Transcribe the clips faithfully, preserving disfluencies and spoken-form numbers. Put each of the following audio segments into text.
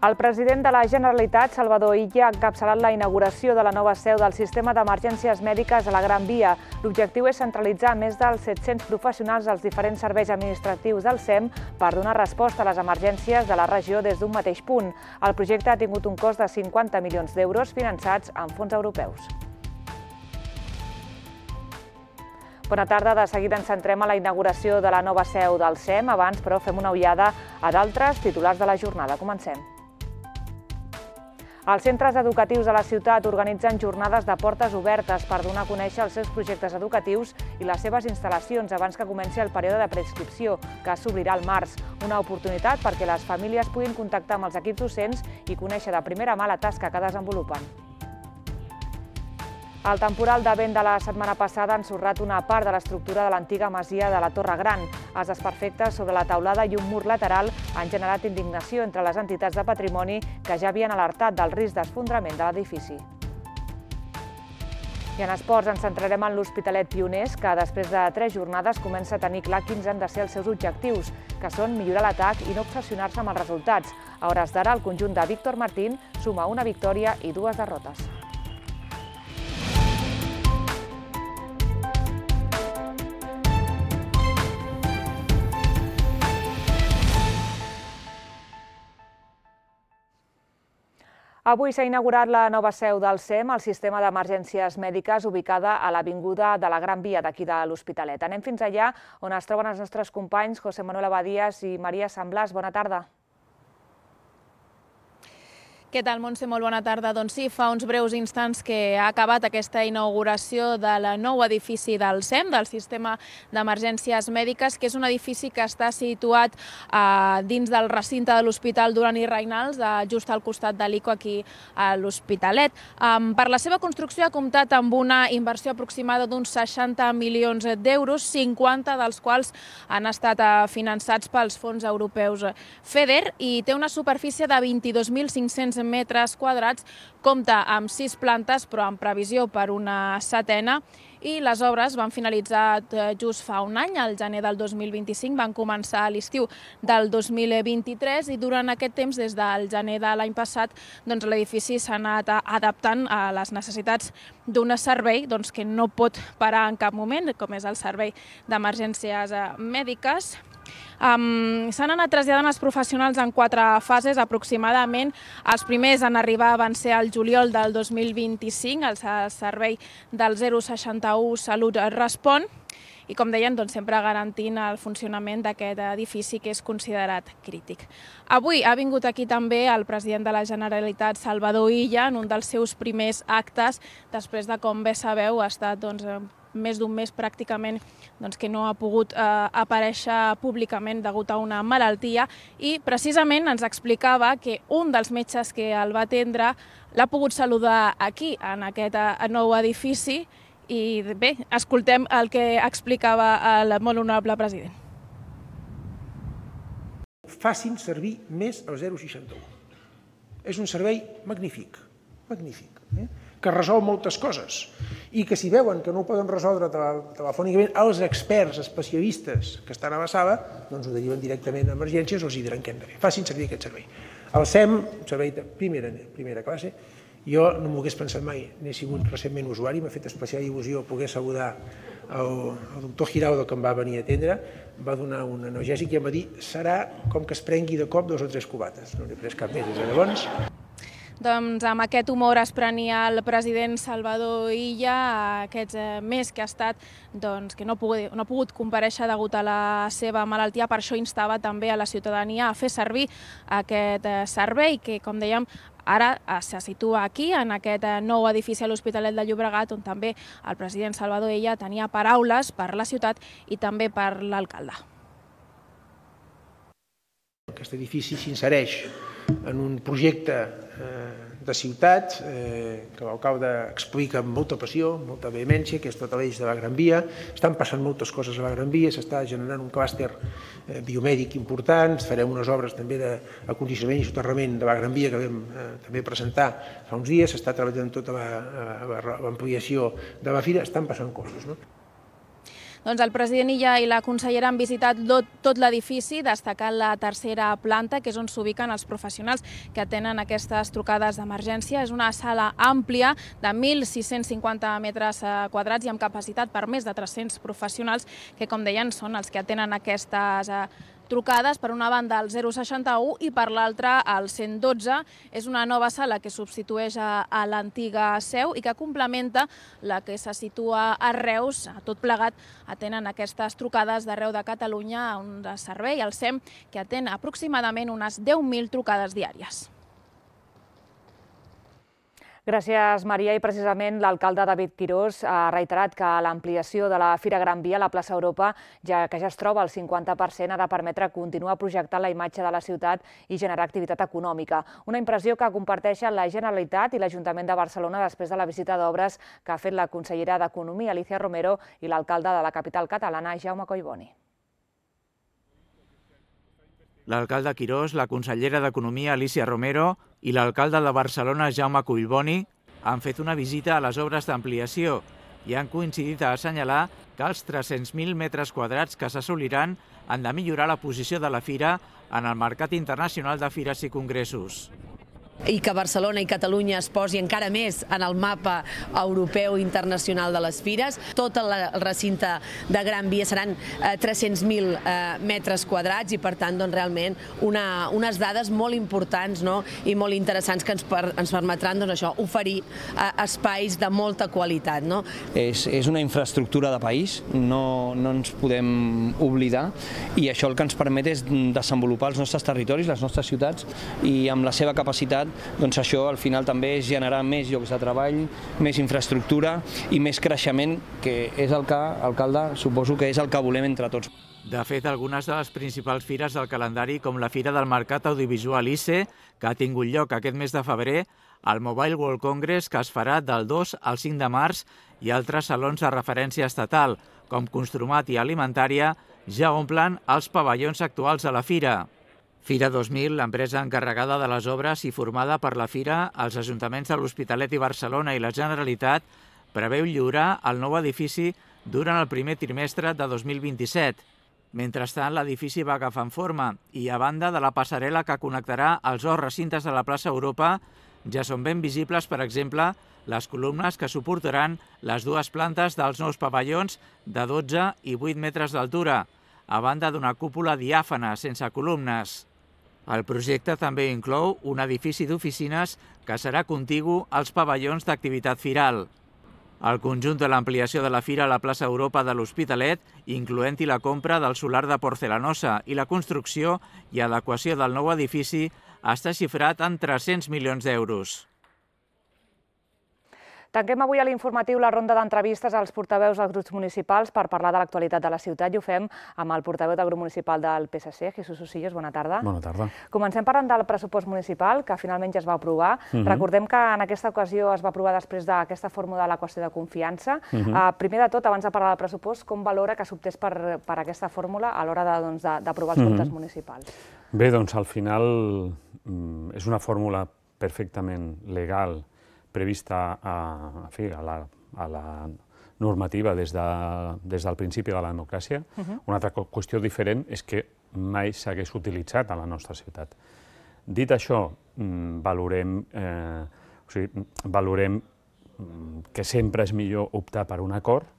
El president de la Generalitat, Salvador Illa, ha encapçalat la inauguració de la nova seu del Sistema d'Emergències Mèdiques a la Gran Via. L'objectiu és centralitzar més dels set-cents professionals dels diferents serveis administratius del S E M per donar resposta a les emergències de la regió des d'un mateix punt. El projecte ha tingut un cost de cinquanta milions d'euros finançats amb fons europeus. Bona tarda, de seguida ens centrem a la inauguració de la nova seu del S E M. Abans, però, fem una ullada a d'altres titulars de la jornada. Comencem. Els centres educatius de la ciutat organitzen jornades de portes obertes per donar a conèixer els seus projectes educatius i les seves instal·lacions abans que comenci el període de preinscripció, que s'obrirà al març. Una oportunitat perquè les famílies puguin contactar amb els equips docents i conèixer de primera mà la tasca que desenvolupen. El temporal de vent de la setmana passada ha ensorrat una part de l'estructura de l'antiga masia de la Torre Gran. Els desperfectes sobre la teulada i un mur lateral han generat indignació entre les entitats de patrimoni que ja havien alertat del risc d'esfondrament de l'edifici. I en esports ens centrarem en l'Hospitalet Pioners, que després de tres jornades comença a tenir clar quins han de ser els seus objectius, que són millorar l'atac i no obsessionar-se amb els resultats. A hores d'ara, el conjunt de Víctor Martín suma una victòria i dues derrotes. Avui s'ha inaugurat la nova seu del S E M, el Sistema d'Emergències Mèdiques, ubicada a l'Avinguda de la Gran Via d'aquí de l'Hospitalet. Anem fins allà, on es troben els nostres companys José Manuel Abadías i Maria Sant Blas. Bona tarda. Què tal, Montse? Molt bona tarda. Doncs sí, fa uns breus instants que ha acabat aquesta inauguració del nou edifici del S E M, del Sistema d'Emergències Mèdiques, que és un edifici que està situat dins del recinte de l'Hospital Duran i Reynals, just al costat de l'I C O aquí a l'Hospitalet. Per la seva construcció ha comptat amb una inversió aproximada d'uns seixanta milions d'euros, cinquanta dels quals han estat finançats pels fons europeus FEDER i té una superfície de vint-i-dos mil cinc-cents metres quadrats, compta amb sis plantes, però en previsió per una setena, i les obres van finalitzar just fa un any, al gener del dos mil vint-i-cinc, van començar a l'estiu del dos mil vint-i-tres i durant aquest temps, des del gener de l'any passat, l'edifici s'ha anat adaptant a les necessitats d'un servei que no pot parar en cap moment, com és el servei d'emergències mèdiques. S'han anat traslladant els professionals en quatre fases aproximadament. Els primers en arribar van ser al juliol del dos mil vint-i-cinc, el servei del zero seixanta u Salut Respon, i com deien, sempre garantint el funcionament d'aquest edifici que és considerat crític. Avui ha vingut aquí també el president de la Generalitat, Salvador Illa, en un dels seus primers actes, després de, com bé sabeu, ha estat més d'un mes pràcticament que no ha pogut aparèixer públicament degut a una malaltia, i precisament ens explicava que un dels metges que el va atendre l'ha pogut saludar aquí, en aquest nou edifici, i bé, escoltem el que explicava el molt honorable president. Facin servir més el zero seixanta u. És un servei magnífic, magnífic, que resol moltes coses i que si veuen que no ho poden resoldre telefònicament els experts especialistes que estan a la sala, doncs ho deriven directament a emergències o els diran què hem de fer. Facin servir aquest servei. El S E M, un servei de primera classe, jo no m'ho hagués pensat mai, n'he sigut recentment usuari, m'ha fet especial il·lusió poder saludar el doctor Giraudo, que em va venir a atendre, va donar un analgèsic i em va dir serà com que es prengui de cop dos o tres cubates. No n'he pres cap més des de llavors. Doncs amb aquest humor es prenia el president Salvador Illa aquest mes que ha estat que no ha pogut comparèixer degut a la seva malaltia. Per això instava també a la ciutadania a fer servir aquest servei que, com dèiem, ara se situa aquí, en aquest nou edifici a l'Hospitalet de Llobregat, on també el president Salvador Illa tenia paraules per la ciutat i també per l'alcalde. Aquest edifici s'insereix en un projecte de ciutat que l'alcalde explica amb molta passió, amb molta vehemència, que és tot l'eix de la Gran Via. Estan passant moltes coses a la Gran Via, s'està generant un clúster biomèdic important, farem unes obres també d'acondicionament i soterrament de la Gran Via que vam també presentar fa uns dies, s'està treballant tota l'ampliació de la fira, estan passant coses. Doncs el president Illa i la consellera han visitat tot l'edifici, destacant la tercera planta, que és on s'ubiquen els professionals que atenen aquestes trucades d'emergència. És una sala àmplia de mil sis-cents cinquanta metres quadrats i amb capacitat per més de tres-cents professionals que, com deien, són els que atenen aquestes trucades, per una banda el zero seixanta-u i per l'altra el cent dotze. És una nova sala que substitueix a l'antiga seu i que complementa la que se situa a Reus. Tot plegat atenen aquestes trucades d'arreu de Catalunya, un servei, el SEM, que atén aproximadament unes deu mil trucades diàries. Gràcies, Maria. I precisament l'alcalde David Quirós ha reiterat que l'ampliació de la Fira Gran Via a la plaça Europa, ja que ja es troba al cinquanta per cent, ha de permetre continuar projectant la imatge de la ciutat i generar activitat econòmica. Una impressió que comparteixen la Generalitat i l'Ajuntament de Barcelona després de la visita d'obres que ha fet la consellera d'Economia, Alicia Romero, i l'alcalde de la capital catalana, Jaume Collboni. L'alcalde Quirós, la consellera d'Economia, Alicia Romero, i l'alcalde de Barcelona, Jaume Collboni, han fet una visita a les obres d'ampliació i han coincidit a assenyalar que els tres-cents mil metres quadrats que s'assoliran han de millorar la posició de la fira en el mercat internacional de fires i congressos. I que Barcelona i Catalunya es posi encara més en el mapa europeu i internacional de les fires. Tot el recinte de Gran Via seran tres-cents mil metres quadrats i, per tant, realment unes dades molt importants i molt interessants que ens permetran oferir espais de molta qualitat. És una infraestructura de país, no ens podem oblidar, i això el que ens permet és desenvolupar els nostres territoris, les nostres ciutats, i amb la seva capacitat doncs això al final també és generar més llocs de treball, més infraestructura i més creixement, que és el que, alcalde, suposo que és el que volem entre tots. De fet, algunes de les principals fires del calendari, com la Fira del Mercat Audiovisual I C E, que ha tingut lloc aquest mes de febrer, el Mobile World Congress, que es farà del dos al cinc de març, i altres salons de referència estatal, com Construmat i Alimentària, ja omplen els pavellons actuals de la fira. Fira dos mil, l'empresa encarregada de les obres i formada per la Fira, els ajuntaments de l'Hospitalet i Barcelona i la Generalitat, preveu lliurar el nou edifici durant el primer trimestre de dos mil vint-i-set. Mentrestant, l'edifici va agafant forma i, a banda de la passarel·la que connectarà els dos recintes de la plaça Europa, ja són ben visibles, per exemple, les columnes que suportaran les dues plantes dels nous pavellons de dotze i vuit metres d'altura, a banda d'una cúpula diàfana sense columnes. El projecte també inclou un edifici d'oficines que serà contigu als pavellons d'activitat firal. El conjunt de l'ampliació de la fira a la plaça Europa de l'Hospitalet, incloent-hi la compra del solar de porcelanosa i la construcció i adequació del nou edifici, està xifrat en tres-cents milions d'euros. Tanquem avui a l'informatiu la ronda d'entrevistes als portaveus dels grups municipals per parlar de l'actualitat de la ciutat, i ho fem amb el portaveu del grup municipal del P S C, Jesús Osillos. Bona tarda. Bona tarda. Comencem parlant del pressupost municipal, que finalment ja es va aprovar. Recordem que en aquesta ocasió es va aprovar després d'aquesta fórmula de la qüestió de confiança. Primer de tot, abans de parlar del pressupost, com valora que s'optés per aquesta fórmula a l'hora d'aprovar els comptes municipals? Bé, doncs al final és una fórmula perfectament legal, prevista a, fi, a, la, a la normativa des, de, des del principi de la democràcia. Uh-huh. Una altra qüestió diferent és que mai s'hagués utilitzat a la nostra ciutat. Dit això, valorem, eh, o sigui, valorem que sempre és millor optar per un acord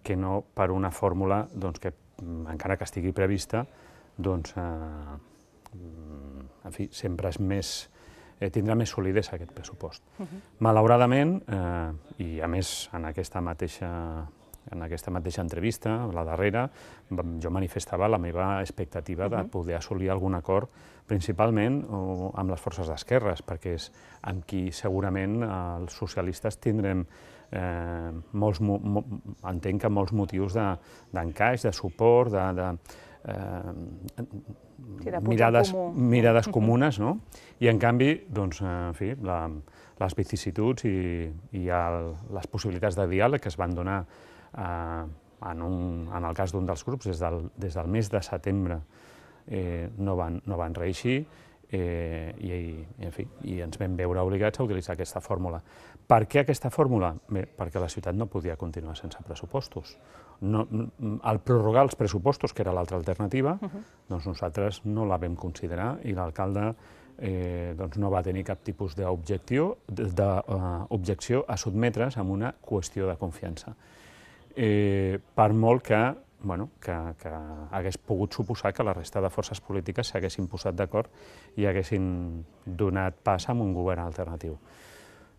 que no per una fórmula doncs, que, encara que estigui prevista, doncs, eh, en fi, sempre és més... tindrà més solidesa aquest pressupost. Malauradament, i a més en aquesta mateixa en aquesta mateixa entrevista, la darrera, jo manifestava la meva expectativa de poder assolir algun acord, principalment amb les forces d'esquerres, perquè és amb qui segurament els socialistes tindrem molts, entenc que molts motius d'encaix, de suport, de mirades comunes, no? I en canvi, doncs, en fi, les vicissituds i les possibilitats de diàleg que es van donar en el cas d'un dels grups des del mes de setembre no van reeixir i ens vam veure obligats a utilitzar aquesta fórmula. Per què aquesta fórmula? Bé, perquè la ciutat no podia continuar sense pressupostos. el prorrogar els pressupostos, que era l'altra alternativa, doncs nosaltres no la vam considerar i l'alcalde no va tenir cap tipus d'objecció a sotmetre's a una qüestió de confiança. Per molt que hagués pogut suposar que la resta de forces polítiques s'haguessin posat d'acord i haguessin donat pas a un govern alternatiu.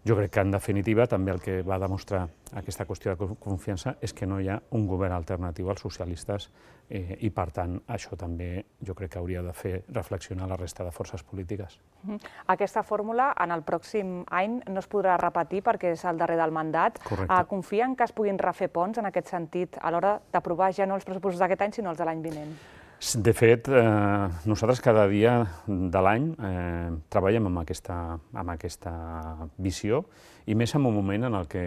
Jo crec que, en definitiva, també el que va demostrar aquesta qüestió de confiança és que no hi ha un govern alternatiu als socialistes i, per tant, això també jo crec que hauria de fer reflexionar la resta de forces polítiques. Aquesta fórmula en el pròxim any no es podrà repetir perquè és el darrer del mandat. Confien que es puguin refer ponts en aquest sentit a l'hora d'aprovar ja no els pressupostos d'aquest any, sinó els de l'any vinent? De fet, nosaltres cada dia de l'any treballem amb aquesta visió i més en un moment en què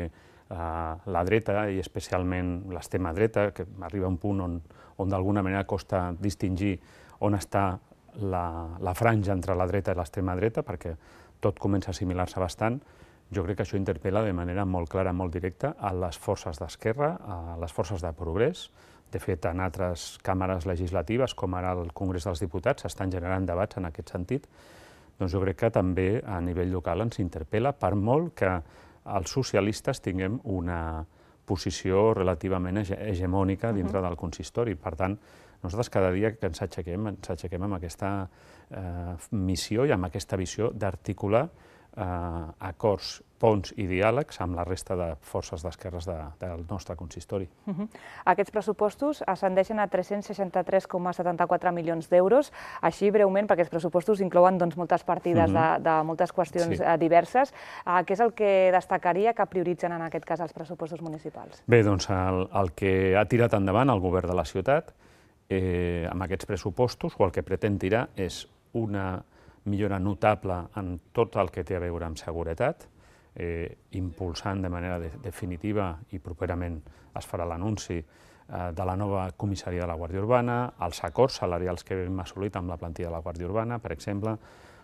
la dreta, i especialment l'extrema dreta, que arriba a un punt on d'alguna manera costa distingir on està la franja entre la dreta i l'extrema dreta, perquè tot comença a assimilar-se bastant. Jo crec que això interpel·la de manera molt clara, molt directa, a les forces d'esquerra, a les forces de progrés. De fet, en altres càmeres legislatives, com ara el Congrés dels Diputats, s'estan generant debats en aquest sentit. Doncs jo crec que també a nivell local ens interpel·la, per molt que els socialistes tinguem una posició relativament hegemònica dintre del consistori. Per tant, nosaltres cada dia que ens aixequem, ens aixequem amb aquesta missió i amb aquesta visió d'articular acords, ponts i diàlegs amb la resta de forces d'esquerres del nostre consistori. Aquests pressupostos ascendeixen a tres-cents seixanta-tres coma setanta-quatre milions d'euros. Així, breument, perquè els pressupostos inclouen moltes partides de moltes qüestions diverses. Què és el que destacaria que prioritzen en aquest cas els pressupostos municipals? Bé, doncs el que ha tirat endavant el govern de la ciutat amb aquests pressupostos, o el que pretén tirar, és una millora notable en tot el que té a veure amb seguretat, impulsant de manera definitiva i properament es farà l'anunci de la nova comissaria de la Guàrdia Urbana, els acords salarials que hem assolit amb la plantilla de la Guàrdia Urbana, per exemple,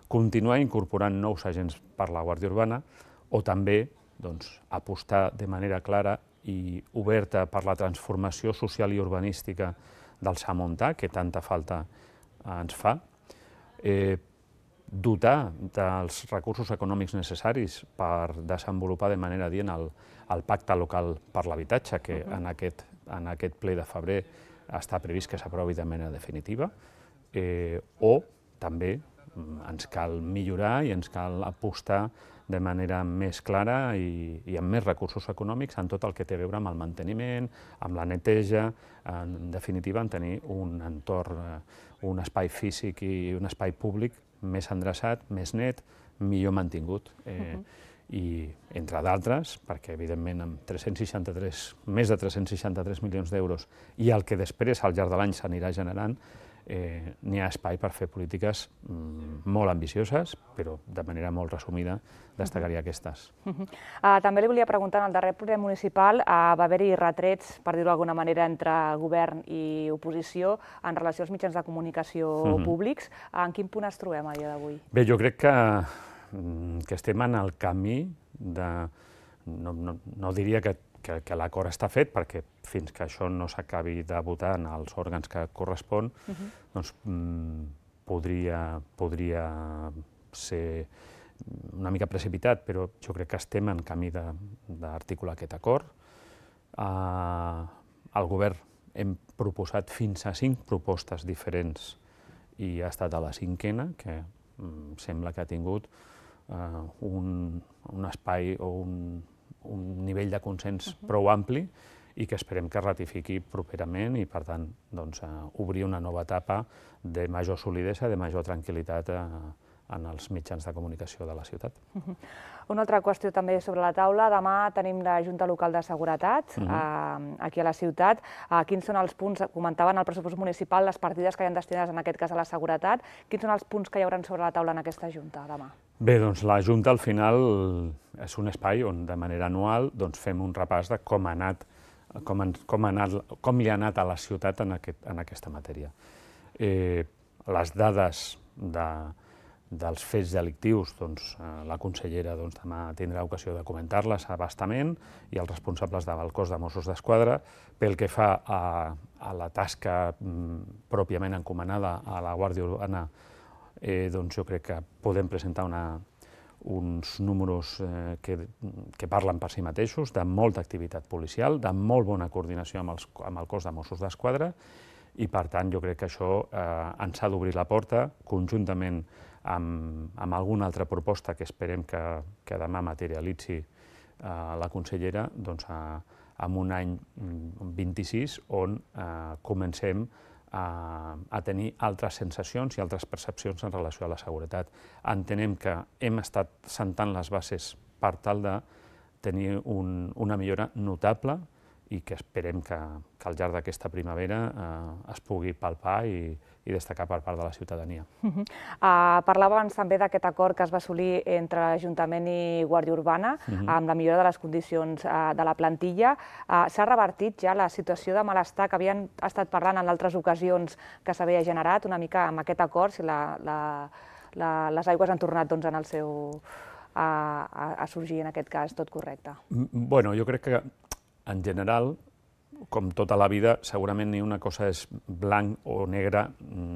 continuar incorporant nous agents per la Guàrdia Urbana o també apostar de manera clara i oberta per la transformació social i urbanística del Samontà, que tanta falta ens fa, dotar dels recursos econòmics necessaris per desenvolupar de manera adient el pacte local per l'habitatge, que en aquest ple de febrer està previst que s'aprovi de manera definitiva, o també ens cal millorar i ens cal apostar de manera més clara i amb més recursos econòmics en tot el que té a veure amb el manteniment, amb la neteja, en definitiva, en tenir un entorn, un espai físic i un espai públic més endreçat, més net, millor mantingut. I, entre d'altres, perquè evidentment amb tres-cents seixanta-tres, més de tres-cents seixanta-tres milions d'euros i el que després al llarg de l'any s'anirà generant, n'hi ha espai per fer polítiques molt ambicioses, però de manera molt resumida destacaria aquestes. També li volia preguntar, en el darrer ple municipal va haver-hi retrets, per dir-ho d'alguna manera, entre govern i oposició en relació als mitjans de comunicació públics. En quin punt es trobem a dia d'avui? Bé, jo crec que estem en el camí de... no diria que que l'acord està fet, perquè fins que això no s'acabi de votar en els òrgans que correspon, doncs podria ser una mica precipitat, però jo crec que estem en camí d'articular aquest acord. Al govern hem proposat fins a cinc propostes diferents i ha estat a la cinquena, que sembla que ha tingut un espai o un un nivell de consens prou ampli i que esperem que ratifiqui properament i, per tant, obrir una nova etapa de major solidesa, de major tranquil·litat en els mitjans de comunicació de la ciutat. Una altra qüestió també sobre la taula. Demà tenim la Junta Local de Seguretat aquí a la ciutat. Quins són els punts, comentaven al pressupost municipal, les partides que hi ha destinades en aquest cas a la seguretat. Quins són els punts que hi haurà sobre la taula en aquesta Junta demà? Bé, doncs la Junta al final és un espai on de manera anual fem un repàs de com ha anat, com li ha anat a la ciutat en aquesta matèria. Les dades dels fets delictius, doncs, la consellera doncs, demà tindrà ocasió de comentar-les abastament i els responsables del cos de Mossos d'Esquadra. Pel que fa a, a la tasca mm, pròpiament encomanada a la Guàrdia Urbana, eh, doncs jo crec que podem presentar una, uns números eh, que, que parlen per si mateixos, de molta activitat policial, de molt bona coordinació amb, els, amb el cos de Mossos d'Esquadra, i per tant jo crec que això eh, ens ha d'obrir la porta, conjuntament amb, amb alguna altra proposta que esperem que, que demà materialitzi eh, la consellera, doncs, a, en un any vint-i-sis on eh, comencem a, a tenir altres sensacions i altres percepcions en relació a la seguretat. Entenem que hem estat sentant les bases per tal de tenir un, una millora notable i que esperem que, que al llarg d'aquesta primavera eh, es pugui palpar i, i destacar per part de la ciutadania. Uh -huh. uh, parlava abans també d'aquest acord que es va assolir entre l'Ajuntament i Guàrdia Urbana uh -huh. amb la millora de les condicions uh, de la plantilla. Uh, S'ha revertit ja la situació de malestar que havien estat parlant en altres ocasions que s'havia generat una mica amb aquest acord, si la, la, la, les aigües han tornat doncs, en el seu, a, a, a sorgir en aquest cas tot correcte? Bueno, jo crec que en general, com tota la vida, segurament ni una cosa és blanc o negre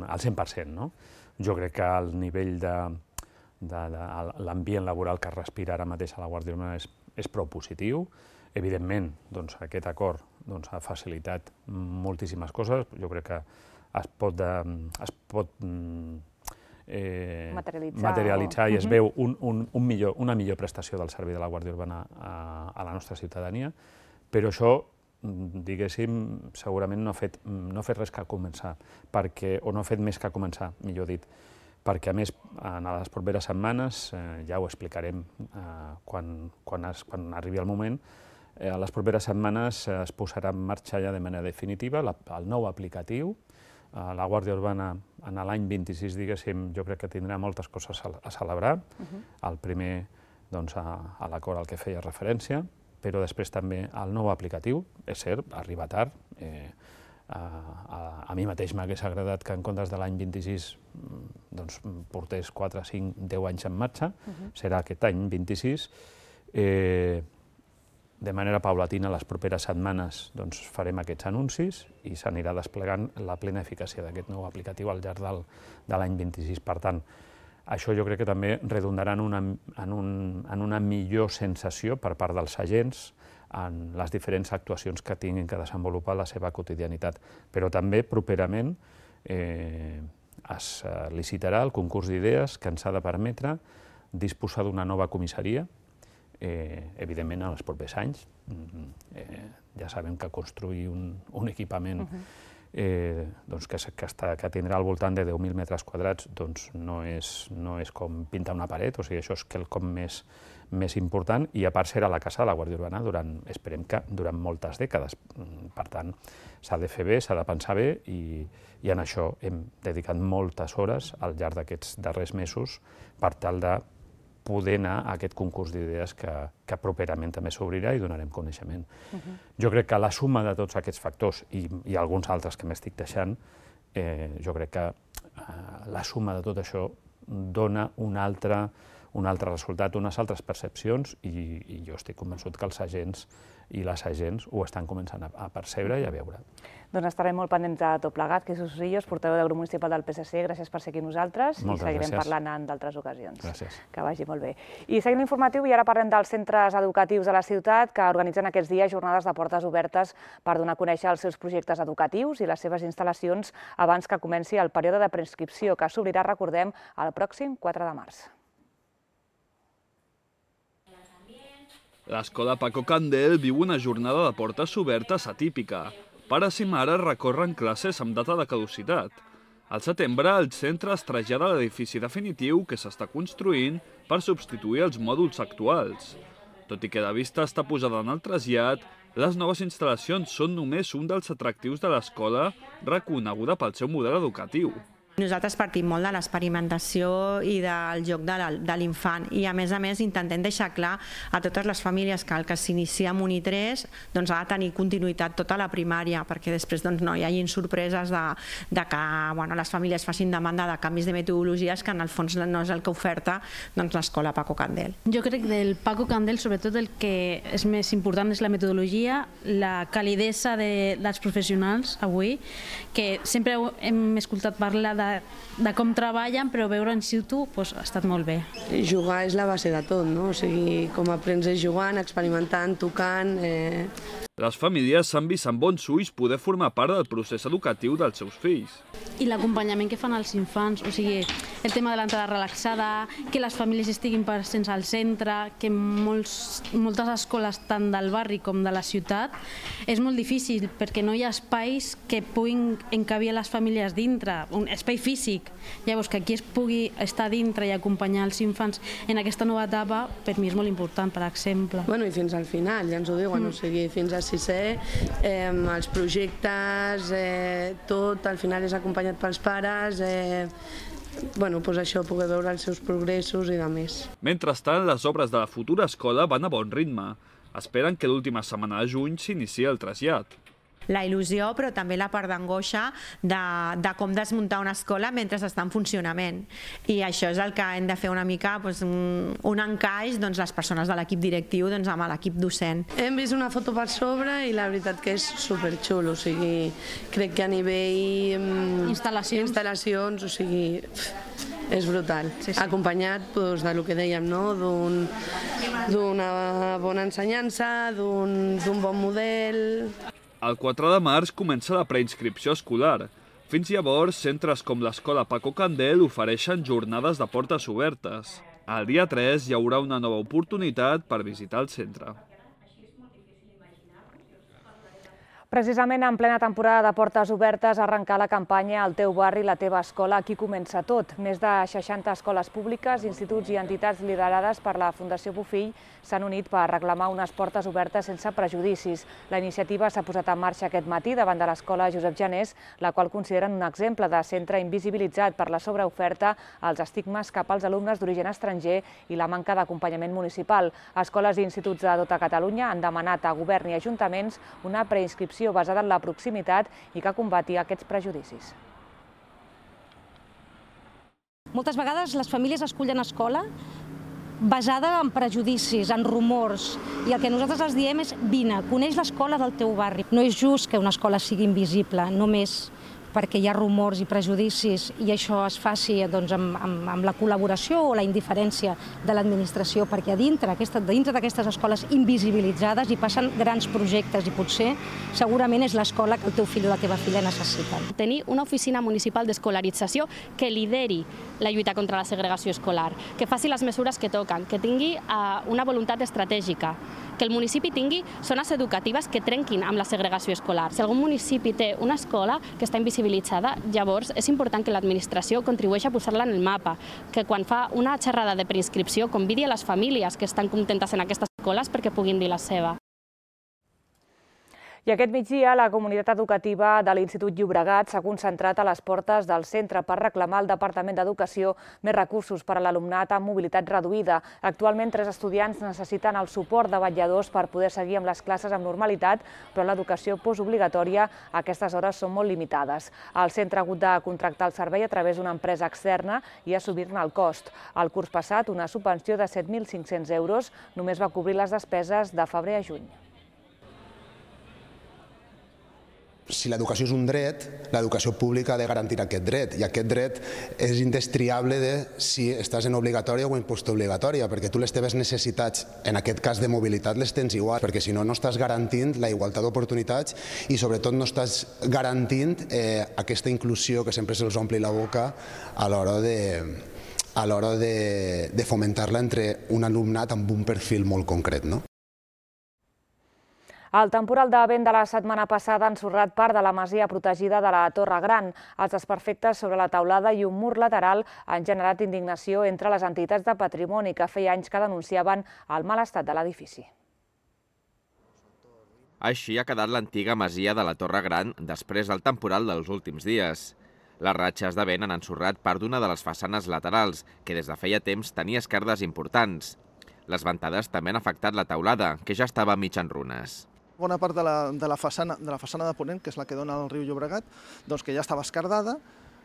al cent per cent, no? Jo crec que el nivell de, de, de l'ambient laboral que es respira ara mateix a la Guàrdia Urbana és, és prou positiu. Evidentment, doncs, aquest acord doncs, ha facilitat moltíssimes coses. Jo crec que es pot, de, es pot eh, materialitzar, materialitzar o... i es veu un, un, un millor, una millor prestació del servei de la Guàrdia Urbana a, a la nostra ciutadania. Però això, diguéssim, segurament no ha fet, no ha fet res que començar, perquè, o no ha fet més que començar, millor dit, perquè a més, en les properes setmanes, eh, ja ho explicarem eh, quan, quan, es, quan arribi el moment, eh, a les properes setmanes eh, es posarà en marxa ja de manera definitiva la, el nou aplicatiu. Eh, la Guàrdia Urbana, en l'any vint-i-sis, diguéssim, jo crec que tindrà moltes coses a, a celebrar. Uh-huh. El primer, doncs, a, a l'acord al que feia referència, però després també el nou aplicatiu, és cert, arriba tard. Eh, a, a, a mi mateix m'hagués agradat que en comptes de l'any vint-i-sis doncs, portés quatre, cinc, deu anys en marxa, uh-huh. serà aquest any vint-i-sis. Eh, de manera paulatina, les properes setmanes doncs, farem aquests anuncis i s'anirà desplegant la plena eficàcia d'aquest nou aplicatiu al llarg del, de l'any vint-i-sis. Per tant, això jo crec que també redundarà en una, en, un, en una millor sensació per part dels agents en les diferents actuacions que tinguin que desenvolupar la seva quotidianitat. Però també, properament, eh, es licitarà el concurs d'idees que ens ha de permetre disposar d'una nova comissaria, eh, evidentment en els propers anys. Eh, ja sabem que construir un, un equipament uh-huh. Eh, doncs que, que, està, que tindrà al voltant de deu mil metres quadrats, doncs no és, no és com pintar una paret, o sigui, això és quelcom més, més important, i a part serà la casa de la Guàrdia Urbana durant, esperem que durant moltes dècades. Per tant, s'ha de fer bé, s'ha de pensar bé, i, i en això hem dedicat moltes hores al llarg d'aquests darrers mesos per tal de poder anar a aquest concurs d'idees que, que properament també s'obrirà i donarem coneixement. Uh-huh. Jo crec que la suma de tots aquests factors, i, i alguns altres que m'estic deixant, eh, jo crec que eh, la suma de tot això dona un altre, un altre resultat, unes altres percepcions, i, i jo estic convençut que els agents i les agents ho estan començant a, a percebre i a veure. Doncs estarem molt pendents de tot plegat. Jesús Rillos, portaveu del grup municipal del P S C, gràcies per ser aquí amb nosaltres. Moltes i seguirem gràcies. parlant en d'altres ocasions. Gràcies. Que vagi molt bé. I seguim l'informatiu i ara parlem dels centres educatius de la ciutat que organitzen aquests dies jornades de portes obertes per donar a conèixer els seus projectes educatius i les seves instal·lacions abans que comenci el període de preinscripció, que s'obrirà, recordem, el pròxim quatre de març. L'escola Paco Candel viu una jornada de portes obertes atípica. Pares i mares recorren classes amb data de caducitat. Al setembre, el centre es trasllada a l'edifici definitiu que s'està construint per substituir els mòduls actuals. Tot i que la vista està posada en el trasllat, les noves instal·lacions són només un dels atractius de l'escola reconeguda pel seu model educatiu. Nosaltres partim molt de l'experimentació i del joc de l'infant i a més a més intentem deixar clar a totes les famílies que el que s'inicia amb Uni tres doncs ha de tenir continuïtat tota la primària perquè després doncs, no hi hagin sorpreses de, de que bueno, les famílies facin demanda de canvis de metodologies que en el fons no és el que oferta doncs, l'escola Paco Candel. Jo crec que del Paco Candel sobretot el que és més important és la metodologia, la calidesa de, dels professionals avui, que sempre hem escoltat parlar de de com treballen, però veure en situ doncs, ha estat molt bé. Jugar és la base de tot, no? O sigui, com aprens és jugant, experimentant, tocant... Eh... Les famílies s'han vist amb bons ulls poder formar part del procés educatiu dels seus fills. I l'acompanyament que fan als infants, o sigui, el tema de l'entrada relaxada, que les famílies estiguin presents al centre, que molts, moltes escoles tant del barri com de la ciutat és molt difícil perquè no hi ha espais que puguin encabir les famílies dintre, un espai físic. Llavors, que aquí es pugui estar dintre i acompanyar els infants en aquesta nova etapa, per mi és molt important, per exemple. Bueno, i fins al final, ja ens ho diuen, mm. o sigui, fins a sisè, eh, els projectes, eh, tot, al final és acompanyat pels pares, eh, bueno, doncs això, poder veure els seus progressos i de més. Mentrestant, les obres de la futura escola van a bon ritme. Esperen que l'última setmana de juny s'inici el trasllat. La il·lusió, però també la part d'angoixa de, de com desmuntar una escola mentre està en funcionament. I això és el que hem de fer una mica, doncs, un, un encaix, doncs, les persones de l'equip directiu doncs, amb l'equip docent. Hem vist una foto per sobre i la veritat que és superxulo, o sigui, crec que a nivell instal·lacions, instal·lacions o sigui, és brutal. Sí, sí. Acompanyat doncs, del que dèiem, no? d'una bona ensenyança, d'un bon model... El quatre de març comença la preinscripció escolar. Fins llavors, centres com l'escola Paco Candel ofereixen jornades de portes obertes. El dia tres hi haurà una nova oportunitat per visitar el centre. Precisament en plena temporada de portes obertes arrencar la campanya El teu barri, la teva escola, aquí comença tot. Més de seixanta escoles públiques, instituts i entitats liderades per la Fundació Bofill s'han unit per reclamar unes portes obertes sense prejudicis. La iniciativa s'ha posat en marxa aquest matí davant de l'escola Josep Janés, la qual consideren un exemple de centre invisibilitzat per la sobreoferta, els estigmes cap als alumnes d'origen estranger i la manca d'acompanyament municipal. Escoles i instituts de tota Catalunya han demanat a govern i ajuntaments una preinscripció basada en la proximitat i que combati aquests prejudicis. Moltes vegades les famílies escullen escola basada en prejudicis, en rumors, i el que nosaltres els diem és vine, coneix l'escola del teu barri. No és just que una escola sigui invisible, només perquè hi ha rumors i prejudicis i això es faci doncs, amb, amb, amb la col·laboració o la indiferència de l'administració, perquè a dintre, aquesta, dintre d'aquestes escoles invisibilitzades hi passen grans projectes i potser segurament és l'escola que el teu fill o la teva filla necessiten. Tenir una oficina municipal d'escolarització que lideri la lluita contra la segregació escolar, que faci les mesures que toquen, que tingui uh, una voluntat estratègica, que el municipi tingui zones educatives que trenquin amb la segregació escolar. Si algun municipi té una escola que està invisibilitzada, llavors és important que l'administració contribueixi a posar-la en el mapa, que quan fa una xerrada de preinscripció convidi a les famílies que estan contentes en aquestes escoles perquè puguin dir la seva. I aquest migdia la comunitat educativa de l'Institut Llobregat s'ha concentrat a les portes del centre per reclamar al Departament d'Educació més recursos per a l'alumnat amb mobilitat reduïda. Actualment, tres estudiants necessiten el suport de vetlladors per poder seguir amb les classes amb normalitat, però en l'educació postobligatòria aquestes hores són molt limitades. El centre ha hagut de contractar el servei a través d'una empresa externa i assumir-ne el cost. El curs passat, una subvenció de set mil cinc-cents euros només va cobrir les despeses de febrer a juny. Si l'educació és un dret, l'educació pública ha de garantir aquest dret, i aquest dret és indestriable de si estàs en obligatòria o en postobligatòria, perquè tu les teves necessitats, en aquest cas de mobilitat, les tens igual, perquè si no, no estàs garantint la igualtat d'oportunitats i sobretot no estàs garantint eh, aquesta inclusió que sempre se'ls ompli la boca a l'hora de... a l'hora de, de fomentar-la entre un alumnat amb un perfil molt concret, no? El temporal de vent de la setmana passada ha ensorrat part de la masia protegida de la Torre Gran. Els desperfectes sobre la teulada i un mur lateral han generat indignació entre les entitats de patrimoni que feia anys que denunciaven el mal estat de l'edifici. Així ha quedat l'antiga masia de la Torre Gran després del temporal dels últims dies. Les ratxes de vent han ensorrat part d'una de les façanes laterals, que des de feia temps tenia esquerdes importants. Les ventades també han afectat la teulada, que ja estava mig en runes. Bona part de la, de la, façana, de la façana de ponent, que és la que dona al riu Llobregat, doncs que ja estava esquerdada,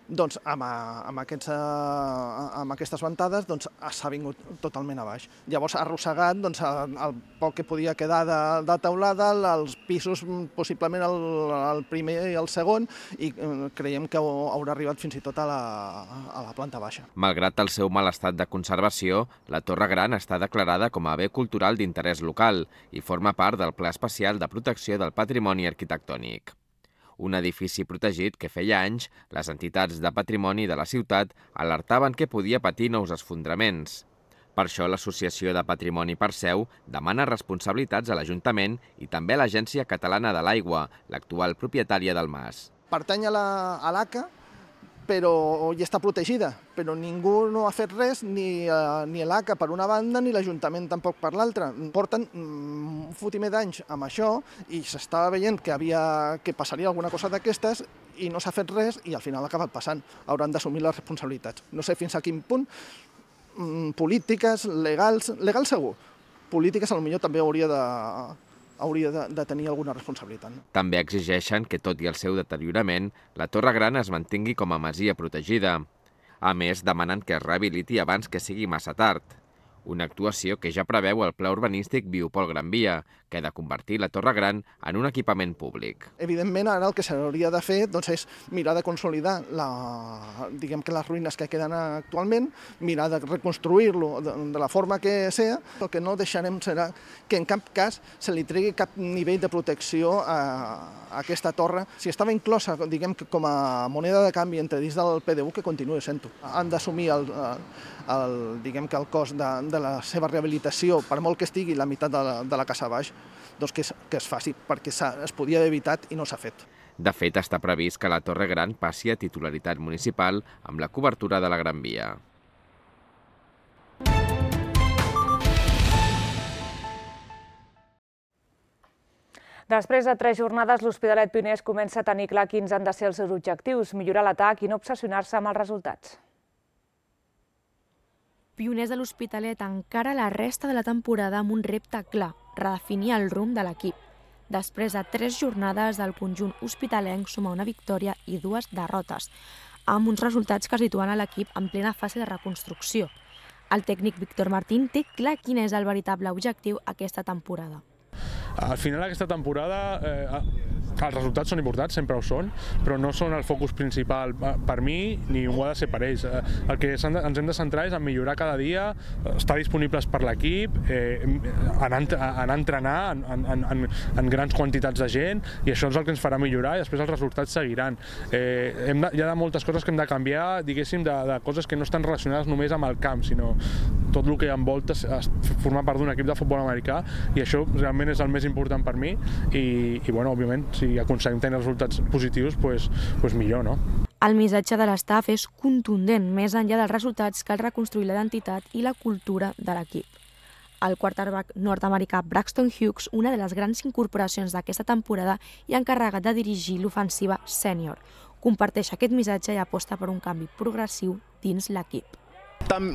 doncs amb, amb, aquests, amb aquestes ventades doncs, s'ha vingut totalment a baix. Llavors ha arrossegat doncs, el poc que podia quedar de, de teulada, els pisos, possiblement el, el primer i el segon, i creiem que haurà arribat fins i tot a la, a la planta baixa. Malgrat el seu mal estat de conservació, la Torre Gran està declarada com a bé cultural d'interès local i forma part del Pla Especial de Protecció del Patrimoni Arquitectònic. Un edifici protegit que feia anys les entitats de patrimoni de la ciutat alertaven que podia patir nous esfondraments. Per això l'Associació de Patrimoni Perseu demana responsabilitats a l'Ajuntament i també a l'Agència Catalana de l'Aigua, l'actual propietària del mas. Pertany a l'A C A, però hi està protegida, però ningú no ha fet res, ni, uh, ni l'A C A per una banda, ni l'Ajuntament tampoc per l'altra. Porten un fotimer d'anys amb això i s'estava veient que, havia, que passaria alguna cosa d'aquestes i no s'ha fet res i al final ha acabat passant. Hauran d'assumir les responsabilitats. No sé fins a quin punt, polítiques, legals, legals segur, polítiques potser també hauria de... hauria de, de tenir alguna responsabilitat. També exigeixen que, tot i el seu deteriorament, la Torre Gran es mantingui com a masia protegida. A més, demanen que es rehabiliti abans que sigui massa tard. Una actuació que ja preveu el Pla Urbanístic Biopol Gran Via, que ha de convertir la Torre Gran en un equipament públic. Evidentment, ara el que s'hauria de fer doncs, és mirar de consolidar la, diguem que les ruïnes que queden actualment, mirar de reconstruir-lo de, de la forma que sea. El que no deixarem serà que en cap cas se li tregui cap nivell de protecció a, a aquesta torre. Si estava inclosa, diguem que com a moneda de canvi entre dins del P D U, que continuï sent-ho. Han d'assumir el, el, diguem que el cost de, de la seva rehabilitació, per molt que estigui la meitat de la, de la casa baix, doncs que es, que es faci, perquè es podia haver evitat i no s'ha fet. De fet, està previst que la Torre Gran passi a titularitat municipal amb la cobertura de la Gran Via. Després de tres jornades, l'Hospitalet Pioners comença a tenir clar quins han de ser els seus objectius, millorar l'atac i no obsessionar-se amb els resultats. Pioners de l'Hospitalet encara la resta de la temporada amb un repte clar, redefinir el rumb de l'equip. Després de tres jornades, el conjunt hospitalenc suma una victòria i dues derrotes, amb uns resultats que situen a l'equip en plena fase de reconstrucció. El tècnic Víctor Martín té clar quin és el veritable objectiu aquesta temporada. Al final d'aquesta temporada eh, els resultats són importants, sempre ho són, però no són el focus principal per mi ni ho ha de ser per ells. El que ens hem de centrar és en millorar cada dia, estar disponibles per l'equip, eh, anar, anar a entrenar en, en, en, en grans quantitats de gent, i això és el que ens farà millorar i després els resultats seguiran. Eh, hem de, hi ha moltes coses que hem de canviar, diguéssim, de, de coses que no estan relacionades només amb el camp, sinó tot el que envolta formar part d'un equip de futbol americà, i això realment és el més important per mi i, i bueno, òbviament, si aconseguim tenir resultats positius, pues, pues millor, no? El missatge de l'estaf és contundent, més enllà dels resultats cal reconstruir la identitat i la cultura de l'equip. El quarterback nord-americà Braxton Hughes, una de les grans incorporacions d'aquesta temporada i encarregat de dirigir l'ofensiva sènior, comparteix aquest missatge i aposta per un canvi progressiu dins l'equip.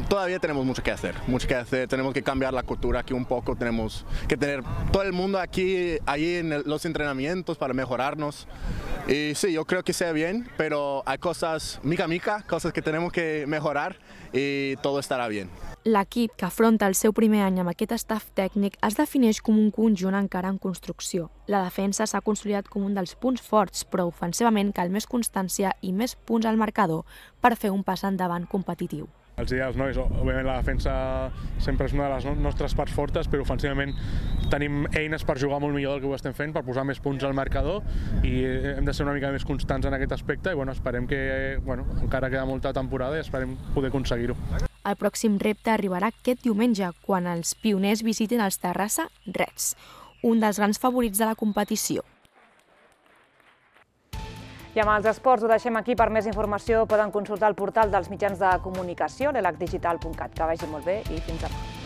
Todavía tenemos mucho que hacer, mucho que hacer, tenemos que cambiar la cultura aquí un poco, tenemos que tener todo el mundo aquí, ahí en los entrenamientos para mejorarnos. Y sí, yo creo que sea bien, pero hay cosas mica mica, cosas que tenemos que mejorar y todo estarà bien. L'equip, que afronta el seu primer any amb aquest staff tècnic, es defineix com un conjunt encara en construcció. La defensa s'ha consolidat com un dels punts forts, però ofensivament cal més constància i més punts al marcador per fer un pas endavant competitiu. Els ideals, no? Òbviament la defensa sempre és una de les nostres parts fortes, però ofensivament tenim eines per jugar molt millor del que ho estem fent, per posar més punts al marcador, i hem de ser una mica més constants en aquest aspecte i bueno, esperem que, bueno, encara queda molta temporada i esperem poder aconseguir-ho. El pròxim repte arribarà aquest diumenge, quan els pioners visiten els Terrassa Reds, un dels grans favorits de la competició. I amb els esports ho deixem aquí. Per més informació poden consultar el portal dels mitjans de comunicació, l'e l a c digital punt cat. Que vagi molt bé i fins demà.